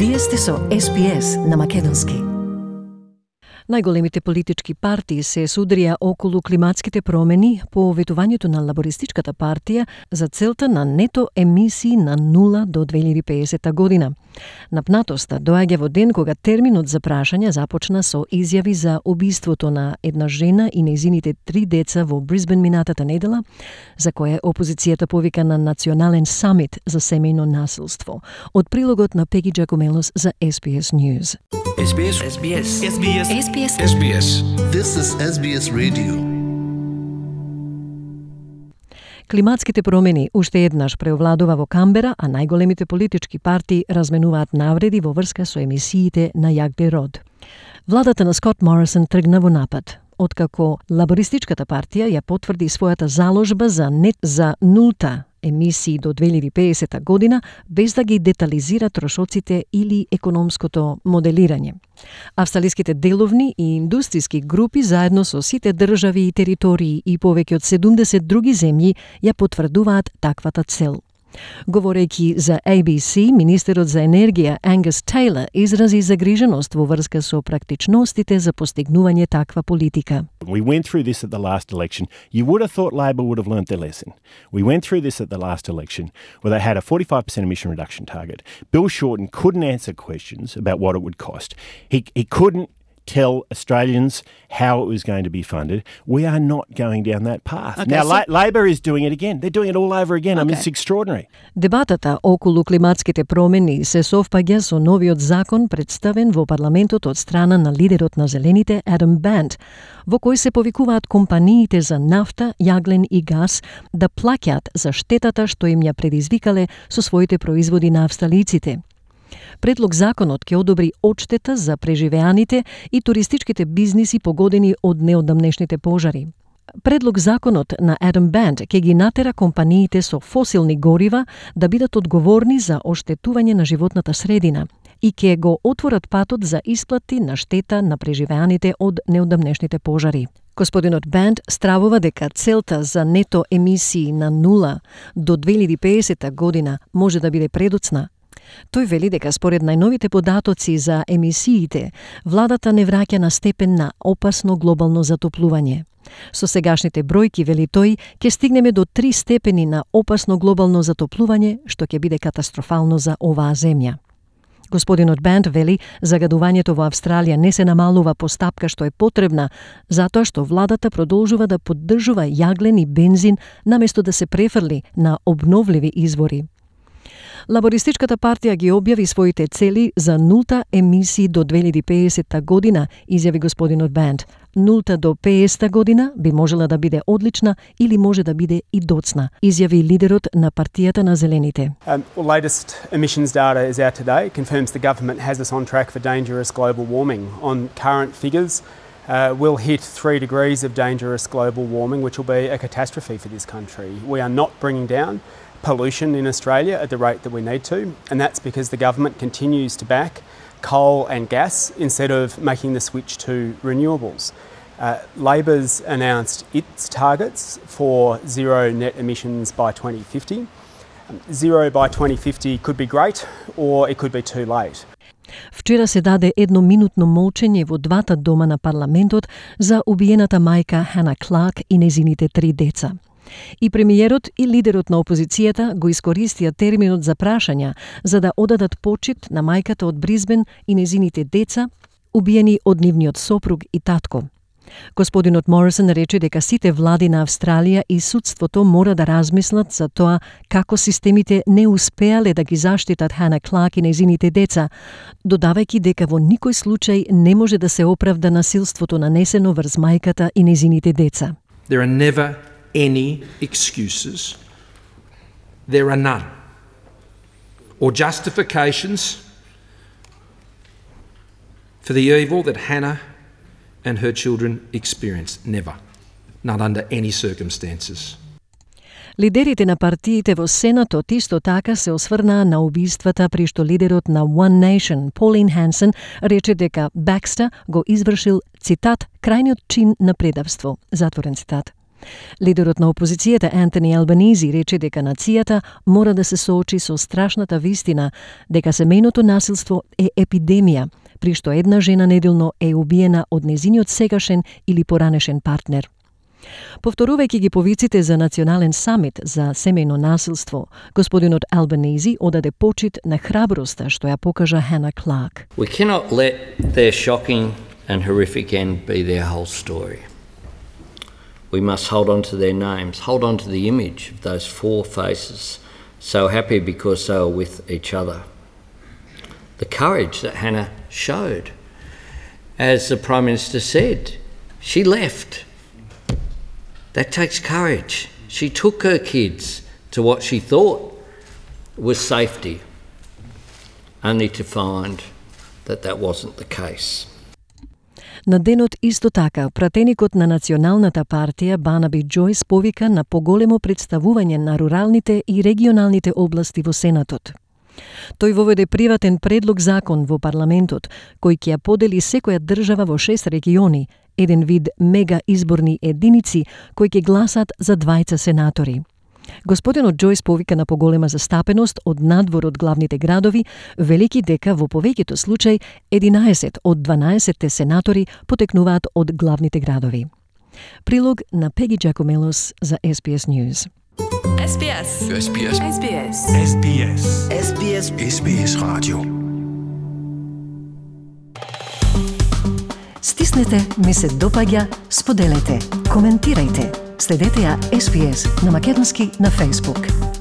Вие сте со SPS на македонски. Најголемите политички партии се судрија околу климатските промени по ветувањето на лабористичката партија за целта на нето емисии на 0 до 2050 година. Напнатоста доаѓа во ден кога терминот за прашање започна со изјави за убиството на една жена и нејзините 3 деца во Брисбен минатата недела, за кое опозицијата повика на национален самит за семејно насилство. Од прилогот на Пеги Джакомелос за SBS News. SBS. SBS. SBS. SBS. SBS. This is SBS Radio. Климатските промени уште еднаш преовладува во Камбера, а најголемите политички партии разменуваат навреди во врска со емисиите на јаглерод. Владата на Скот Морисон тргна во напад, откако лабористичката партија ја потврди својата заложба за нулта емисии до 2050 година, без да ги детализира трошоците или економското моделирање. Австралиските деловни и индустријски групи заедно со сите држави и територии и повеќе од 70 други земји ја потврдуваат таквата цел. Говорејќи за ABC, министерот за енергија Ангус Тейлор изрази загриженост во врска со практичностите за постигнување таква политика. We went through this at the last election. You would have thought Labor would have learnt their lesson. We went through this at the last election where they had a 45% emission reduction target. Bill Shorten couldn't answer questions about what it would cost. He couldn't tell Australians how it was going to be funded. We are not going down that path. Okay, now, Labor is doing it again. They're doing it all over again. I mean, it's extraordinary. Дебатата околу климатските промени се совпаѓа со новиот закон представен во парламентот од страна на лидерот на Зелените Адам Бант, во кој се повикуваат компаниите за нафта, јаглен и газ да плаќаат за штетата што им ја предизвикале со своите производи на австралиците. Предлог законот ќе одобри одштета за преживеаните и туристичките бизниси погодени од неодамнешните пожари. Предлог законот на Адам Бант ќе ги натера компаниите со фосилни горива да бидат одговорни за оштетување на животната средина и ќе го отворат патот за исплати на штета на преживеаните од неодамнешните пожари. Господинот Бант стравува дека целта за нето емисии на 0 до 2050 година може да биде предоцна. Тој вели дека според најновите податоци за емисиите, владата не враќа на степен на опасно глобално затоплување. Со сегашните бројки, вели тој, ќе стигнеме до 3 степени на опасно глобално затоплување, што ќе биде катастрофално за оваа земја. Господинот Бант вели, загадувањето во Австралија не се намалува по стапка што е потребна, затоа што владата продолжува да поддржува јаглен и бензин наместо да се префрли на обновливи извори. Лабористичката партија ги објави своите цели за нулта емисии до 2050 година, изјави господинот Бант. Нулта до 50 година би можела да биде одлична или може да биде и доцна, изјави лидерот на партијата на Зелените. Latest emissions data is out today. It confirms the government has us on track for dangerous global warming. On current figures, we'll hit 3 degrees of dangerous global warming, which will be a catastrophe for this country. We are not bringing down pollution in Australia at the rate that we need to, and that's because the government continues to back coal and gas instead of making the switch to renewables. Labor's announced its targets for zero net emissions by 2050. Zero by 2050 could be great or it could be too late. Вчера се даде едноминутно молчење во двата дома на парламентот за убиената мајка Хана Кларк и незините 3 деца. И премиерот и лидерот на опозицијата го искористија терминот за прашања за да одадат почит на мајката од Брисбен и незините деца, убиени од нивниот сопруг и татко. Господинот Морисон рече дека сите влади на Австралија и судството мора да размислат за тоа како системите не успеале да ги заштитат Хана Кларк и незините деца, додавајќи дека во никој случај не може да се оправда насилството нанесено врз мајката и незините деца. There are never any excuses. There are none. Or justifications for the evil that Hannah and her children experienced. Never. Not under any circumstances. Лидерите на партиите во Сенатот исто така се осврнаа на убиствата, при што лидерот на One Nation, Pauline Hanson, рече дека Бакстер го извршил, цитат, крајниот чин на предавство, затворен цитат. Лидерот на опозицијата Антони Албанизи рече дека нацијата мора да се соочи со страшната вистина дека семејното насилство е епидемија, при што една жена неделно е убиена од незиниот сегашен или поранешен партнер. Повторувајќи ги повиците за национален самит за семејно насилство, господинот Албанизи одаде почит на храброста што ја покажа Hannah Clarke. We cannot let their shocking and horrific end be their whole story. We must hold on to their names, hold on to the image of those four faces, so happy because they were with each other. The courage that Hannah showed. As the Prime Minister said, she left. That takes courage. She took her kids to what she thought was safety, only to find that that wasn't the case. На денот исто така, пратеникот на Националната партија Барнаби Джойс повика на поголемо представување на руралните и регионалните области во Сенатот. Тој воведе приватен предлог закон во парламентот, кој ќе ја подели секоја држава во 6 региони, еден вид мега изборни единици кои ќе гласат за 2 сенатори. Господинот Джойс повика на поголема застапеност од надвор од главните градови, велики дека во повеќето случаи 11 од 12 сенатори потекнуваат од главните градови. Прилог на Пеги Джакомелос за SBS News. SBS. SBS. SBS. SBS. SBS. SBS Radio. Стиснете, ми се допаѓа, споделете, коментирајте. Следете ја SBS на македонски на Facebook.